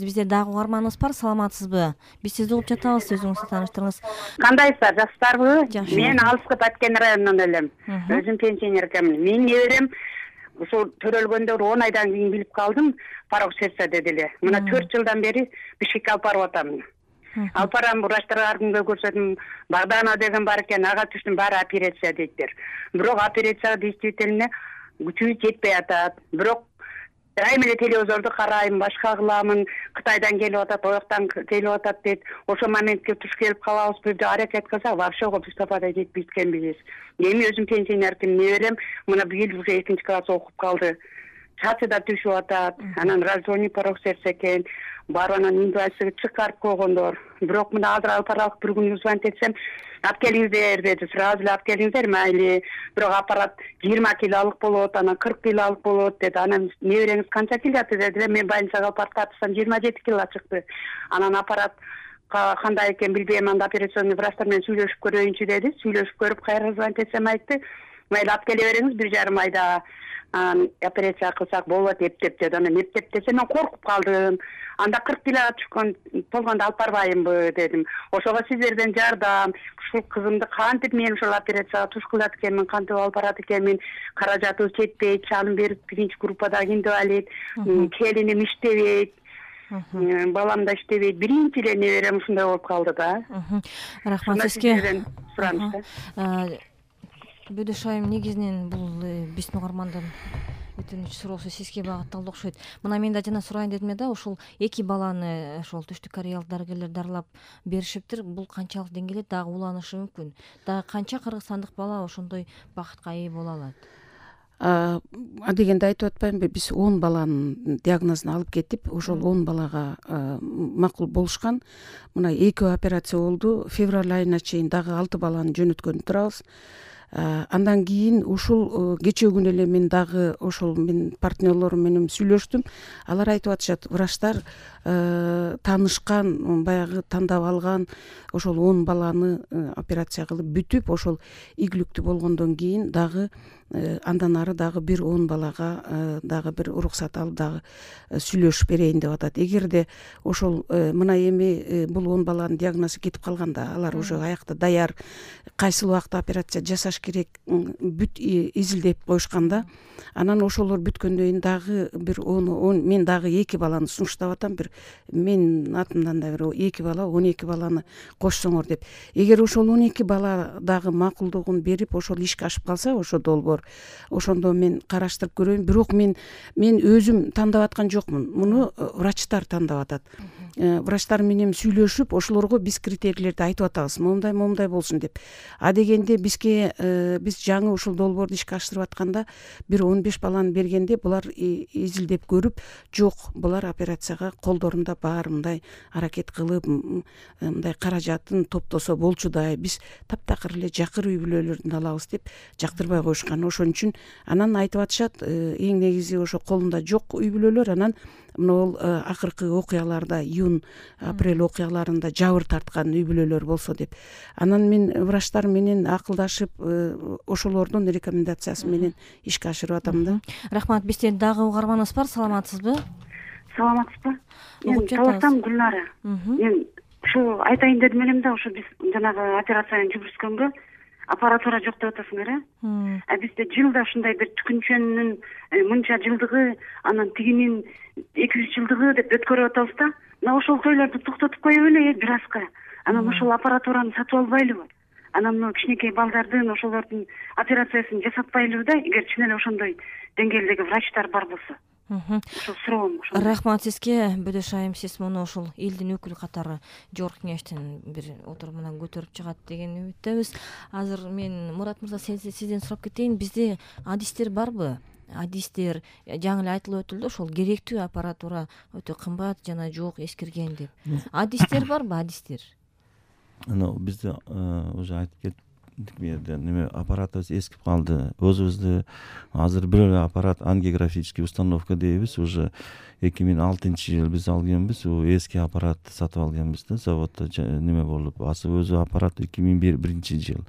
Бизде дагы угарманыбыз бар, саламатсызбы? Биз сизди угуп жатабыз, өзүңүздү тааныштырыңыз. Кандайсыздар, жакшысыздарбы? Жакшы. Мен Алыскы Баткен районунан элем. Өзүм пенсионеркемин. Менин неберем ушул төрөлгөндө 10 айдан кийин билип калдым, порок сердца деди эле. Мына 4 жылдан бери Бишкекке алып барып атам. Алып барам, врачтарга ар күнгө көрсөтүм, Багдана деген бар экен, ага түштүм, баары операция дейттер. Бирок операцияга действительно күчүбүз жетпей атат. Бирок дайым эле телевизорду карайм, башка кыламын, Кытайдан келип атат, ояктан келип атат дейт. Ошол моментке туш келип калабызбы деп аракет кылсак, вообще Мустафада жетпей эткенбиз. Эми өзүм пенсионерким, неберем мына быйыл уже 2 класс окуп калды. Чачы да түшүп атат, анан раздвоенный порок сердца экен. Барып анан инвалидчиге чыгарып койгондор. Бирок мына азыр алып баралык бир күн звонить этсем, алып келиңиздер деди. Сразу эле алып келиңиздер, майли. Бирок аппарат 20 килолук болот, анан 40 килолук болот деди. Анан небереңиз канча кило деди. Мен больницага алып барып тартсам 27 кило чыкты. Анан аппарат кандай экен билбейм, анда операционный врачтар менен сүйлөшүп көрөйүнчү деди. Сүйлөшүп көрүп кайра звонить этсем айтты, майли алып келе бериңиз, 1,5 айда операция кылсак болот эптеп деди. Анан эптеп десе мен коркуп калдым. Анда 40 кило түшкөн болгондо алып барбайымбы дедим. Ошого сиздерден жардам, ушул кызымды кантип мен ушул операцияга туш кылат экенмин, кантип алып барат экенмин, каражатыбыз жетпейт, чалым берип биринчи группадагы инвалид, келиним иштебейт. Балам да иштебейт. Биринчи эле неберем ушундай болуп калды да. Рахмат сизге. Сүрөмүш. Айым, негизинен бул биздин угармандын өтүнүч суроосу сизге багытталды окшойт. Мына мен да жана сурайын дедим да, ушул 2 баланы ошол түштүк кореялык дарыгерлер дарылап беришиптир. Бул канчалык деңгээлде дагы уланышы мүмкүн? Дагы канча кыргызстандык бала ошондой бакытка ээ боло алат? Адегенде айтып атпаймынбы, биз 10 баланын диагнозун алып кетип, ошол 10 балага макул болушкан. Мына 2 операция болду. Февраль айына чейин дагы 6 баланы жөнөткөнү турабыз. Андан кийин ушул кечээ күнү эле мен дагы ошол менин партнерлорум менен сүйлөштүм. Алар айтып атышат, врачтар таанышкан, баягы тандап алган ошол 10 баланы операция кылып бүтүп, ошол ийгиликтүү болгондон кийин дагы андан ары дагы бир 10 балага дагы бир уруксат алып дагы сүйлөшүп берейин деп атат. Эгерде ошол мына эми бул 10 баланын диагнозу кетип калганда, алар уже аякта даяр, кайсыл убакта операция жасаш керек бүт изилдеп коюшканда, анан ошолор бүткөндөн кийин дагы бир 10 мен дагы 2 баланы сунуштап атам. Бир менин атымдан да бир 2 бала, 12 баланы кошсоңор деп. Эгер ошол 12 бала дагы макулдугун берип, ошол ишке ашып калса, ошо долбоор, ошондо мен караштырып көрөйүн. Бирок мен өзүм тандап аткан жокмун. Муну врачтар тандап атат. Врачтар менен сүйлөшүп, ошолорго биз критерийлерди айтып атабыз. Момундай болсун деп. Адегенде бизге биз жаңы ушул долбоорду ишке ашырып атканда бир 15 баланы бергенде булар изилдеп көрүп, жок, булар операцияга колдорунда баары мындай аракет кылып, мындай каражатын топтосо болчудай, биз таптакыр эле жакыр үй бүлөлөрдөн алабыз деп жактырбай коюшкан. Ошон үчүн анан айтып атышат, эң негизи ошо колунда жок үй бүлөлөр, анан могул акыркы окуяларда, июнь-апрель окуяларында жабыр тарткан үй бүлөлөр болсо деп. Анан мен врачтар менен акылдашып, ошолордун рекомендациясы менен ишке ашырып атам да. Рахмат. Бизде дагы угарманыбыз бар, саламатсызбы? Саламатсызбы? Мен Таластан Гүлнара. Мен ушу айтайын дедим элем да, ушу биз жанагы операцияны жүргүзгөнгө аппаратура жок деп атасыңар, бизде жылда ушундай бир түкүнчөнүн мынча жылдыгы, анан тигинин 200 жылдыгы деп өткөрүп атабыз да. Мына ошол тойлорду токтотуп коюп эле бир азга. Анан ошол аппаратураны сатып албайлыбы? Анан мына кичинекей балдардын ошолордун операциясын жасатпайлыбы да, эгер чын эле ошондой деңгээлдеги врачтар бар болсо. Ошол суроом. Рахмат сизге, Бөдөш айым, сиз муну ошол элдин өкүлү катары жогорку кеңештин бир отурумунан көтөрүп чыгат деген үмүттөбүз. Азыр мен Мурат мырза сизден сурап кетейин, бизде адистер барбы? Адистер жаңы эле айтылып өтүлдү, ошол керектүү аппаратура өтө кымбат жана жок, эскирген деп. Адистер барбы, адистер? Бизде уже айтып кеттик, бу жерде неме аппаратыбыз эскип калды. Өзүбүздө азыр бир эле аппарат, ангиографический установка дейбиз, уже 2006-жыл биз алганбыз, эски аппарат сатып алганбыз да, заводдо неме болуп, өзү аппарат 2001-жыл.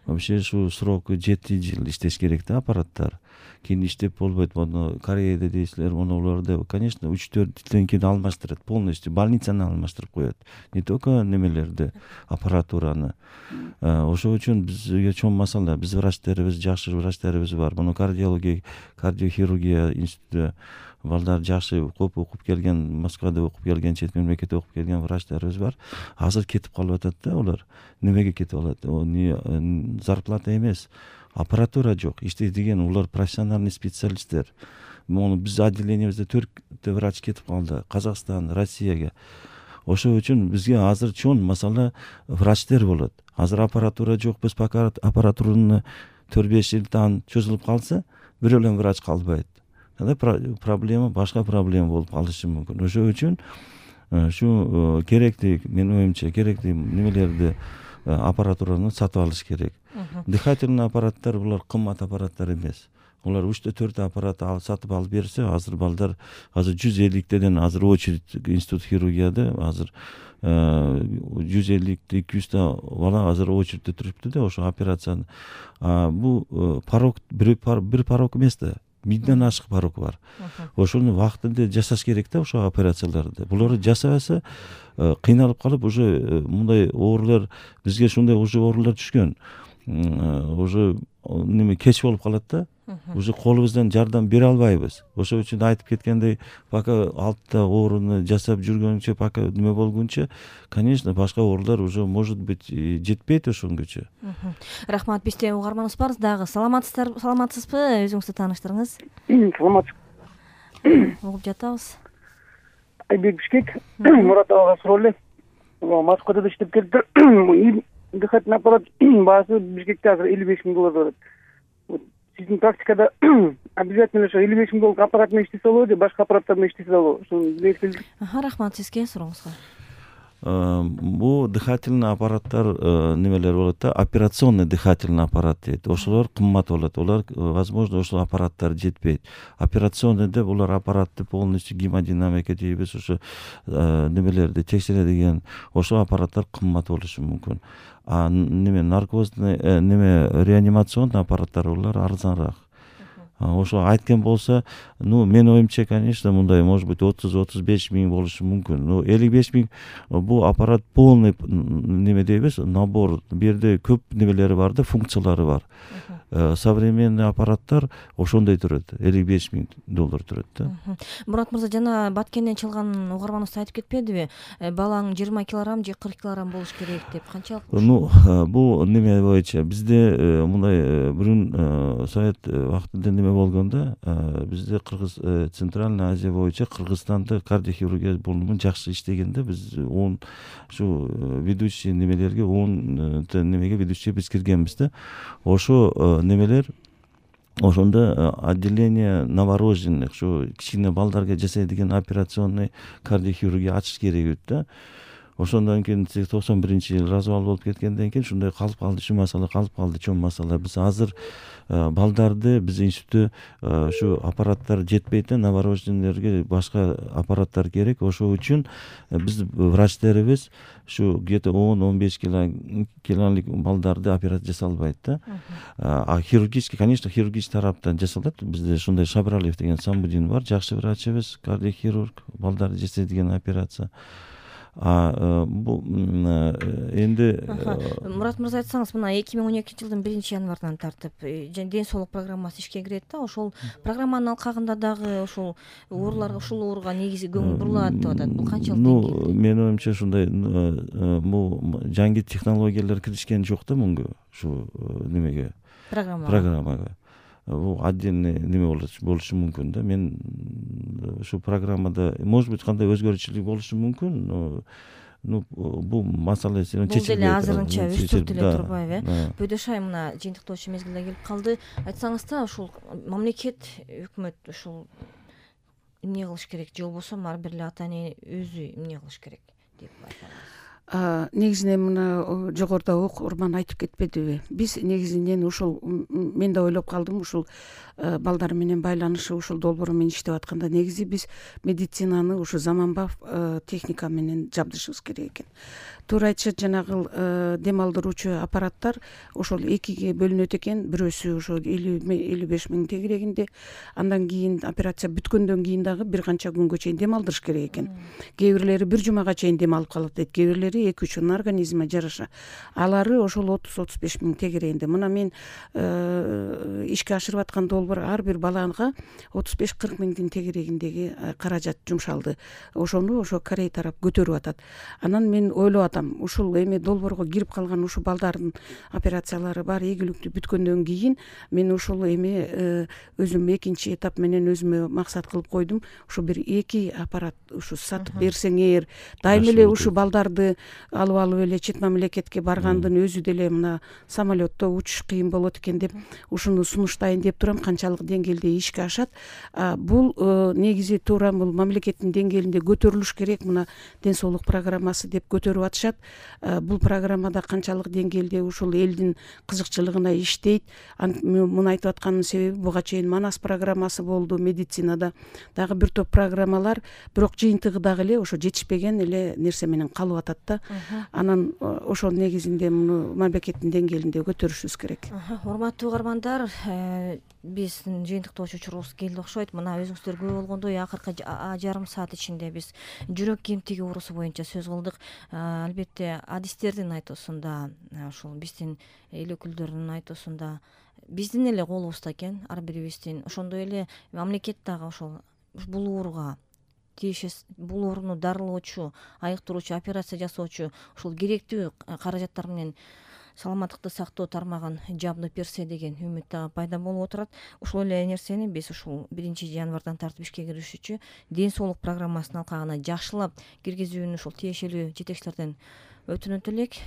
Вообще ушу сроку 7 жыл иштеш керек да аппараттар. кийин иштеп болбойт, мону Кореяда дейсиздер, монуларда конечно 3-4 кийин алмаштырат, полностью больницаны алмаштырып коет, не только немелерди, аппаратураны. Ошол үчүн бизге чоң масала, биз врачтарыбыз, жакшы врачтарыбыз бар. Муну кардиохирургия институту балдар жакшы көп окуп келген, Москвада окуп келген, чет мамлекетте окуп келген врачтарыбыз бар. Азыр кетип калып атат да улар. Немеге кетип алат? Зарплата эмес, аппаратура жок. Иштейдиген улар профессиональный специалисттер. Мону биз отделениябызда 4 врач кетип калды. Казакстан, Россияга. Ошол үчүн бизге азыр чоң масала врачтер болот. Азыр аппаратура жок, биз пока аппаратураны 4-5 жылдан чөзүлүп калса, бир эле врач калбайт. Анда проблема, башка проблема болуп калышы мүмкүн. Ошол үчүн ушу керектүү, менин оюмча керектүү немелерди, аппаратураны сатып алыш керек. Дыхательный аппараттар булар кымбат аппараттар эмес. Улар 3-4 аппарат сатып алып берсе, азыр балдар азыр 150-теден азыр очередь институт хирургияда азыр 150-200 бала азыр очередте турупты да ошо операцияны. Бул порог бир порог эмес да. 1000ден ашык порог бар. Ошону вакытында жасаш керек да ошо операцияларды. Буларды жасабаса кыйналып калып уже мындай оорулар бизге ушундай уже оорулар түшкөн. Уже неме кеч болуп калат да. Уже колубуздан жардам бере албайбыз. Ошол үчүн айтып кеткендей, пока алтта ооруну жасап жүргөнчө, пока неме болгунча, конечно, башка оорулар уже может быть жетпейт ошонгочо. Рахмат, бизде угарманыбыз бар дагы. Саламатсызбы? Өзүңүздү тааныштырыңыз. Саламатсыз. Угуп жатабыз. Айбек Бишкек, Мурат ага суроо эле. Москвада иштеп келиптир. Дыхательный аппарат баасы Бишкекте азыр $55,000 турат. Сиздин практикада обязательно ошо $55,000 аппарат менен иштесе болобу, башка аппараттар менен иштесе болобу? Ошону билесиз. Рахмат сизге сурооңузга. Бул дыхательный аппараттар немелер болот да, операционный дыхательный аппарат дейт. Ошолор кымбат болот. Олар возможно ошол аппараттар жетпейт. Операционныйда булар аппаратты полностью гемодинамика дейбиз, ошо немелерди текшеридиген ошол аппараттар кымбат болушу мүмкүн. Неме наркозный реанимационный аппараттар булар арзаныраак. Ошо айткан болсо, менин оюмча, конечно, мындай может быть 30-35 миң болушу мүмкүн. 55 миң бул аппарат полный неме дейбиз, набор. Бу жерде көп немелери бар да, функциялары бар. Современный аппараттар ошондой турат, $55,000 турат да. Мурат мырза, жана Баткенден чалган угарманыбыз айтып кетпедиби? Балаң 20 килограмм же 40 килограмм болуш керек деп. Канчалык? Бул неме боюнча бизде мындай бүрүн совет вакытында неме болгондо, бизде Центральный Азия боюнча Кыргызстанда кардиохирургия бөлүмү жакшы иштеген да. Биз ушу ведущий немелерге 10 немеге ведущий биз киргенбиз да. Ошо немелер ошондо отделение новорожденных, ушу кичине балдарга жасайдыган операционный кардиохирургия ачыш керек өт да. Ошондон кийин 91-жылы развал болуп кеткенден кийин ушундай калып калды, ушул масала калып калды, чоң масала. Биз азыр балдарды биз институтта ушу аппараттар жетпейт да, новорожденныйлерге башка аппараттар керек. Ошол үчүн биз врачтарыбыз ушу где-то 10-15 килолук балдарды операция жасай албайт да. Хирургический, конечно, хирургический тараптан жасалат. Бизде ушундай Шабралиев деген Самбудин бар, жакшы врачыбыз, кардиохирург, балдарды жасайдыган операция. Бул энди Мурат мырза, айтсаңыз, мына 2012-жылдын 1-январынан тартып ден соолук программасы ишке кирет да. Ошол программанын алкагында дагы ошол ооруларга, ушул ооруга негизи көңүл бурулат деп атат. Бул канчалык деңгээлде? Менин оюмча ушундай бул жаңы технологиялар киришкен жок да мунга, ушу немеге, программага. Бул отдельный неме болушу мүмкүн да. Мен ушу программада может быть кандай өзгөрүүчүлүк болушу мүмкүн, бул маселе чечилбей бул деле азырынча өстүрүп деле турбайбы, Бөдөшай мына жыйынтыктоочу мезгилде келип калды. Айтсаңыз ушул мамлекет, өкмөт ушул эмне кылыш керек же болбосо ар бир эле ата эне өзү эмне кылыш керек деп айтасыз? Негизинен мына жогоруда окурман айтып кетпедиби, биз негизинен ушул мен да ойлоп калдым, ушул балдар менен байланышы ушул долбоор менен иштеп атканда негизи биз медицинаны ушу заманбап техника менен жабдышыбыз керек экен. Туура айтышат, жанагы дем алдыруучу аппараттар ошол экиге бөлүнөт экен. Бирөөсү ошо 50-55 миң тегерегинде, андан кийин операция бүткөндөн кийин дагы бир канча күнгө чейин дем алдырыш керек экен. Кээ бирлери 1 жумага чейин дем алып калат дейт, кээ бирлери 2-3 организме жараша. Алары ошол 30-35 миң тегерегинде. Мына мен ишке ашырып аткан долбоор ар бир балага 35-40 миңдин тегерегиндеги каражат жумшалды. Ошону ошо Корей тарап көтөрүп атат. Анан мен ойлоп атам, ушул эми долбоорго кирип калган ушул балдардын операциялары баары ийгиликтүү бүткөндөн кийин мен ушул эми өзүм экинчи этап менен өзүмө максат кылып койдум. Ушу бир 2 аппарат ушу сатып берсеңер, дайыма эле ушу балдарды алып эле чет мамлекетке баргандын өзү деле мына самолетто учуш кыйын болот экен деп ушуну сунуштайын деп турам. Канчалык деңгээлде ишке ашат? Бул негизи туура бул мамлекеттин деңгээлинде көтөрүлүш керек. Мына ден соолук программасы деп көтөрүп атышат. Бул программада канчалык деңгээлде ушул элдин кызыкчылыгына иштейт? Муну айтып атканымдын себеби буга чейин Манас программасы болду медицинада, дагы бир топ программалар, бирок жыйынтыгы дагы эле ошо жетишпеген эле нерсе менен калып атат да. Анан ошол негизинде муну мамлекеттин деңгээлинде көтөрүшүбүз керек. Урматтуу угармандар, биздин жыйынтыктоочу учурубуз келди окшойт. Мына өзүңүздөр көрүп болгондой акыркы жарым саат ичинде биз жүрөк кемтиги оорусу боюнча сөз кылдык. Албетте адистердин айтуусунда, ушул биздин эл өкүлдөрүнүн айтуусунда биздин эле колубузда экен, ар бирибиздин. Ошондой эле мамлекет дагы ошол бул ооруга бул ооруну дарылоочу, айыктыруучу, операция жасоочу ушул керектүү каражаттар менен саламаттыкты сактоо тармагын жабдып берсе деген үмүт дагы пайда болуп отурат. Ушул эле нерсени биз ушул 1 январдан тартып ишке киришүүчү ден соолук программасынын алкагына жакшылап киргизүүнү ушул тиешелүү жетекчилерден өтүнөт элек.